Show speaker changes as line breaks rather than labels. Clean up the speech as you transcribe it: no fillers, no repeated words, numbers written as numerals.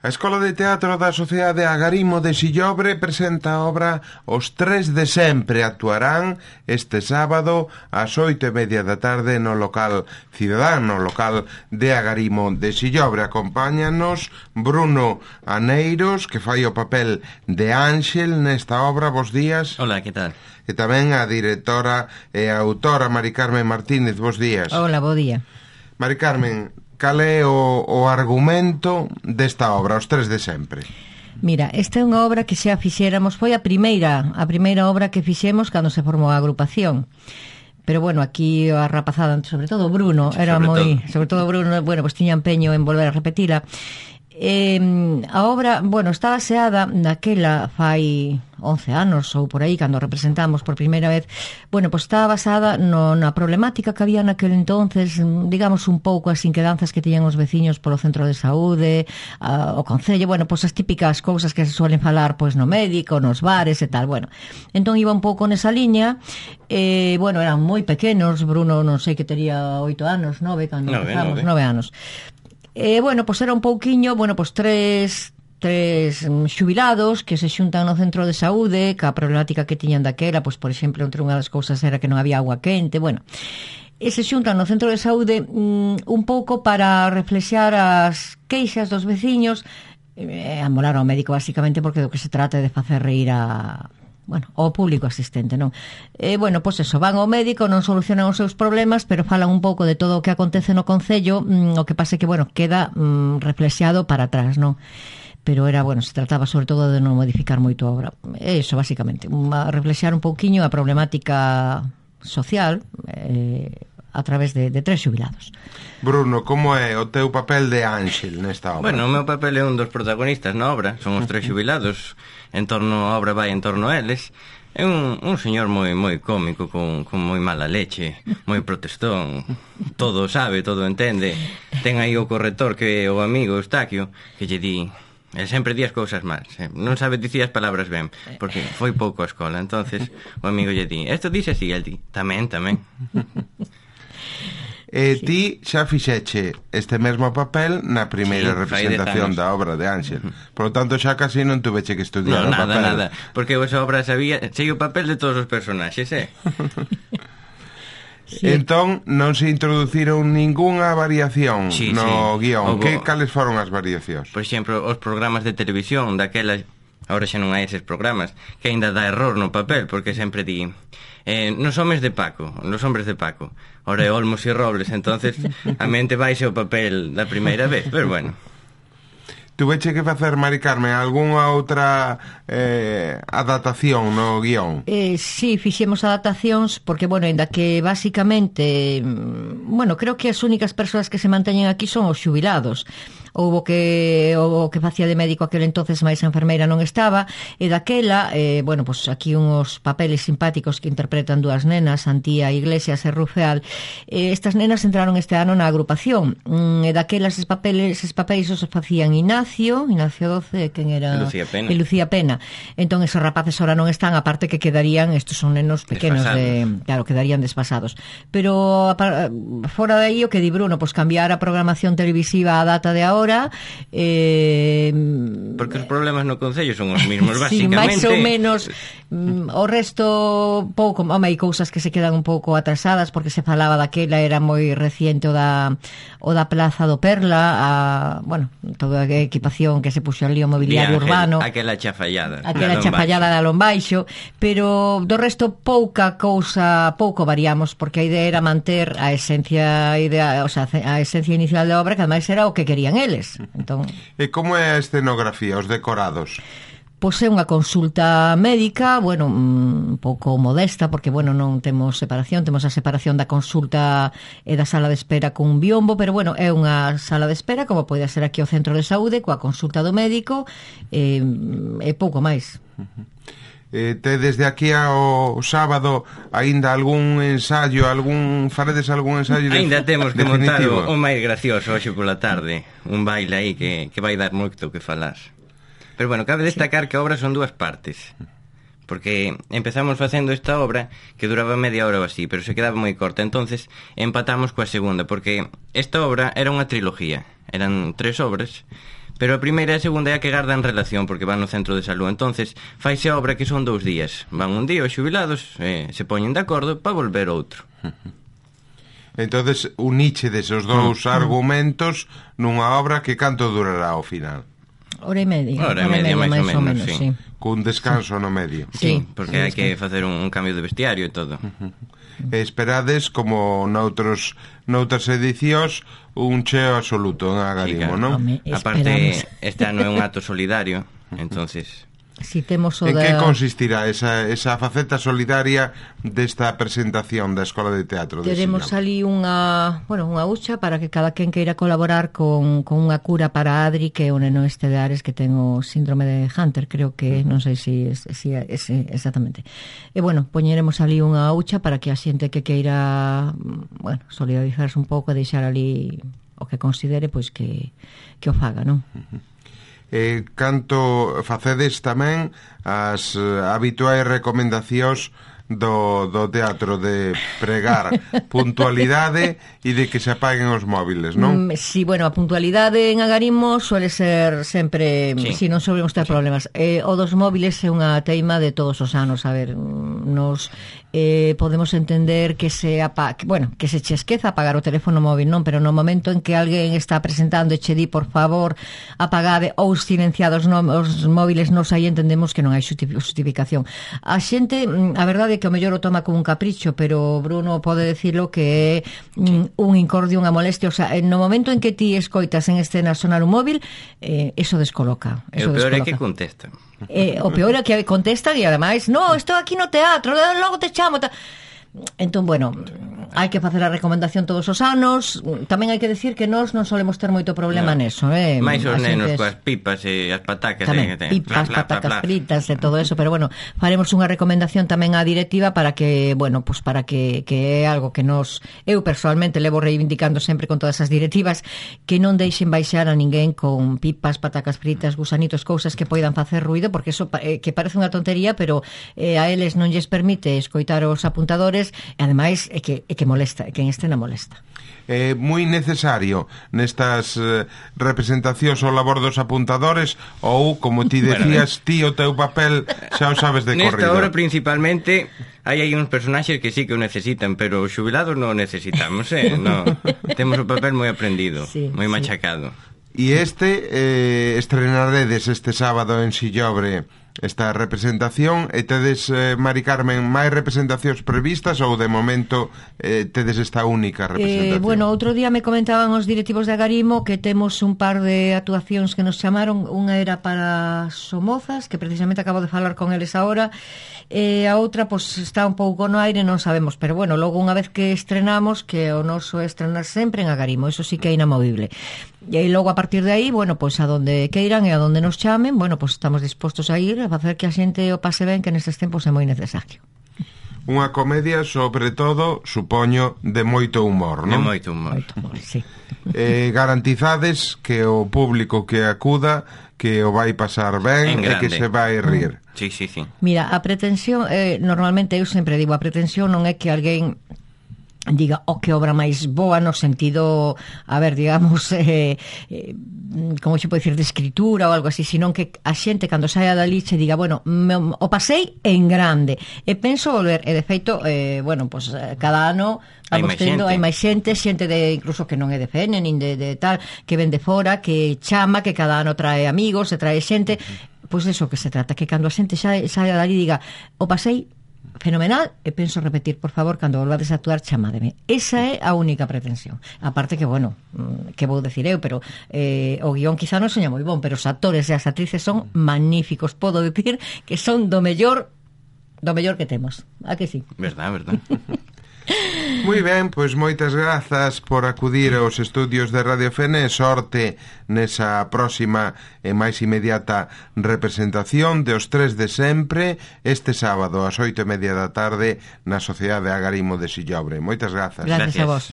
A Escola de Teatro da Sociedade Agarimo de Sillobre presenta a obra Os Tres de Sempre. Actuarán este sábado ás 8:30 da tarde no local Cidadán, no local de Agarimo de Sillobre. Acompáñanos Bruno Aneiros, que fai o papel de Ángel nesta obra. Bos días.
Hola, que tal?
E tamén a directora e a autora Mari Carmen Martínez. Bos días.
Hola, bo día.
Mari Carmen, cal é o argumento desta obra, Os Tres de Sempre?
Mira, esta é unha obra que xa fixéramos, foi a primeira obra que fixemos cando se formou a agrupación. Pero bueno, aquí a rapazada, sobre todo Bruno, sobre todo Bruno, bueno, pues tiña empeño en volver a repetila. A obra, bueno, está baseada naquela fai 11 anos ou por aí, cando representamos por primeira vez. Bueno, pues está basada na problemática que había naquele entonces, digamos un pouco as inquedanzas que tiñan os veciños polo centro de saúde, o concello, bueno, pues as típicas cousas que se suelen falar pues no médico, nos bares e tal, bueno. Entón iba un pouco nesa liña, bueno, eran moi pequenos, Bruno non sei que tería 8 anos, 9, cando empezamos, 9 anos. Bueno, pues era un pouquiño, bueno, pues tres xubilados que se xuntan no centro de saúde, ca problemática que tiñan daquela, pues por exemplo, entre unha das cousas era que non había agua quente, bueno, e se xuntan no centro de saúde un pouco para reflexar as queixas dos veciños, amolar ao médico basicamente, porque do que se trata é de facer reír ao público asistente, non? Bueno, pois eso, van ao médico, non solucionan os seus problemas, pero falan un pouco de todo o que acontece no concello, o que pasa é que, bueno, queda reflexado para atrás, non? Pero era, bueno, se trataba sobre todo de non modificar moito a obra. É iso, basicamente, reflexar un pouquiño a problemática social a través de tres xubilados.
Bruno, como é o teu papel de Ángel nesta obra?
Bueno, o meu papel é un dos protagonistas na obra, son os tres xubilados, a obra vai en torno a eles. É un señor moi cómico, con moi mala leche, moi protestón, todo sabe, todo entende. Ten aí o corrector que é o amigo Eustaquio, que lle di... El sempre di as cousas mal, non sabe dicir as palabras ben, porque foi pouco a escola. Entonces o amigo lle di, esto dice así, el di, tamén.
Ti xa fixeche este mesmo papel na primeira representación da obra de Ángel. Por lo tanto, xa casi non tuveche que estudiar o papel.
Nada, porque esa obra sei o papel de todos os personaxes,
Sí.
Entón, non se introduciron ningunha variación no guión. Cales foron as variacións?
Por exemplo, os programas de televisión daquelas, agora xa non hai eses programas, que aínda dá error no papel, porque sempre di nos hombres de Paco, ora é Olmos e Robles, entonces a mente baixe o papel da primeira vez, pero bueno.
Tuveche que facer, Mari Carmen, algunha outra adaptación no guión?
Sí, fixemos adaptacións, porque, bueno, ainda que basicamente, bueno, creo que as únicas persoas que se manteñen aquí son os xubilados. Houbo que o que facía de médico aquel entonces, máis a enfermeira non estaba, e daquela, bueno, pues aquí uns papeles simpáticos que interpretan dúas nenas, Antía Iglesias e Rufeal. Estas nenas entraron este ano na agrupación, e daquela eses papéis os facían Ignacio XII, quen era? Lucía Pena. Entón, esos rapaces ahora non están, aparte que quedarían, estos son nenos pequenos, claro, quedarían desfasados. Pero fora de aí, o que di Bruno, pues cambiar a programación televisiva a data de ahora,
porque os problemas no concello son os mesmos, basicamente.
Sí, máis ou menos. O resto pouco, hai cousas que se quedan un pouco atrasadas, porque se falaba daquela, era moi reciente o da Plaza do Perla, bueno, toda a equipación que se puxo ali, o mobiliario urbano,
aquela chafallada
da Lombaixo, pero do resto pouca cousa, pouco variamos, porque a idea era manter a esencia inicial da obra, que ademais era o que querían eles. Entón,
e como é a escenografía, os decorados?
Pois é unha consulta médica, bueno, un pouco modesta, porque, bueno, non temos separación, temos a separación da consulta e da sala de espera con un biombo, pero, bueno, é unha sala de espera, como pode ser aquí o centro de saúde, coa consulta do médico, e pouco máis.
Desde aquí ao sábado aínda algún ensaio, faredes algún ensaio
aínda temos que montar o máis gracioso hoxe pola tarde, un baile aí que vai dar moito que falar. Pero bueno, cabe destacar que a obra son dúas partes, porque empezamos facendo esta obra que duraba media hora ou así, pero se quedaba moi corta, entonces empatamos coa segunda, porque esta obra era unha trilogía, eran 3 obras, Pero a primeira e a segunda é a que gardan relación, porque van no centro de salud. Entonces, faise a obra que son 2 días. Van un día os xubilados, se poñen de acordo para volver outro.
Entonces, uniche desos dous argumentos nunha obra que canto durará ao final?
Hora e media.
Hora e media, máis ou menos, sí.
Cun descanso no medio.
Sí, porque hai que facer un cambio de vestiario e todo.
Esperades, como noutras edicións, un cheo absoluto en Agarimo, non?
Aparte, este ano é un acto solidario, entonces...
Si temos o
en que consistirá esa faceta solidaria desta presentación da Escola de Teatro de
Teremos ali unha hucha para que cada quen queira colaborar con unha cura para Adri, que é un neno este de Ares que ten o síndrome de Hunter, creo que, non sei se exactamente. E poñeremos ali unha hucha para que a xente que queira solidarizarse un pouco e deixar ali o que considere, pois que o faga, non?
Canto facedes tamén as habituais recomendacións do teatro de pregar puntualidade e de que se apaguen os móviles, non?
Sí, a puntualidade en Agarimo suele ser sempre, si non solemos ter problemas. O dos móviles é unha teima de todos os anos. A ver, nos podemos entender que se che esqueza apagar o teléfono móvil, non? Pero no momento en que alguén está presentando e che di, por favor, apagade ou silenciados os móviles, nos aí entendemos que non hai justificación. A xente, a verdade é que o mellor o toma como un capricho, pero Bruno pode decirlo que é un incordio, unha molestia. O sea, no momento en que ti escoitas en escena sonar un móvil, eso descoloca.
E o peor é que contestan.
O peor é que contestan e ademais, no, estou aquí no teatro, logo te chamo. Entón, hai que facer a recomendación todos os anos. Tamén hai que decir que nós non solemos ter moito problema neso,
máis os nenos coas pipas e as patacas
tamén, pipas, patacas fritas e todo eso, pero faremos unha recomendación tamén á directiva para que, para que é algo que eu personalmente levo reivindicando sempre con todas as directivas, que non deixen baixar a ninguén con pipas, patacas fritas, gusanitos, cousas que poidan facer ruido, porque eso que parece unha tontería, pero a eles non lles permite escoitar os apuntadores, e ademais é que molesta, que en escena molesta.
É moi necesario nestas representacións o labor dos apuntadores, ou, como ti decías, ti o teu papel xa o sabes de corrido?
Nesta obra principalmente hai uns personaxes que sí que o necesitan, pero os xubilados non o necesitamos, no. Temos o papel moi aprendido, moi machacado.
E estrenaredes este sábado en Sillobre esta representación, e tedes, Mari Carmen, máis representacións previstas ou de momento tedes esta única representación?
Outro día me comentaban os directivos de Agarimo que temos un par de actuacións que nos chamaron. Unha era para Somozas, que precisamente acabo de falar con eles agora, e a outra está un pouco no aire, non sabemos, pero logo unha vez que estrenamos, que o noso é estrenar sempre en Agarimo, eso sí que é inamovible. E logo a partir de aí, a donde queiran e a donde nos chamen, estamos dispostos a ir a facer que a xente o pase ben, que nestes tempos é moi necesario.
Unha comedia, sobre todo, supoño, de moito humor, non?
De moito humor,
sí.
Garantizades que o público que acuda, que o vai pasar ben e que se vai rir.
Sí.
Mira, a pretensión, normalmente eu sempre digo, a pretensión non é que alguén diga que obra máis boa no sentido, a ver, digamos, como se pode dicir, de escritura ou algo así, sino que a xente cando saia dali che diga, o pasei en grande e penso volver, e de feito cada ano vamos tendo, hai máis xente de, incluso que non é de Fene nin de tal, que ven de fora, que chama, que cada ano trae amigos e trae xente, pois eso que se trata, que cando a xente saia dali diga, o pasei fenomenal, e penso repetir, por favor, cando volvades a actuar, chamádeme. Esa é a única pretensión. Aparte que, que vou decir eu, pero o guión quizá non seña moi bon, pero os actores e as actrices son magníficos. Podo decir que son do mellor que temos. A que sí?
Verdad.
Moi ben, pois moitas grazas por acudir aos estudios de Radio Fene, e sorte nesa próxima e máis inmediata representación de Os Tres de Sempre este sábado ás 8:30 da tarde na Sociedade Agarimo de Sillobre. Moitas grazas.
Gracias a vos.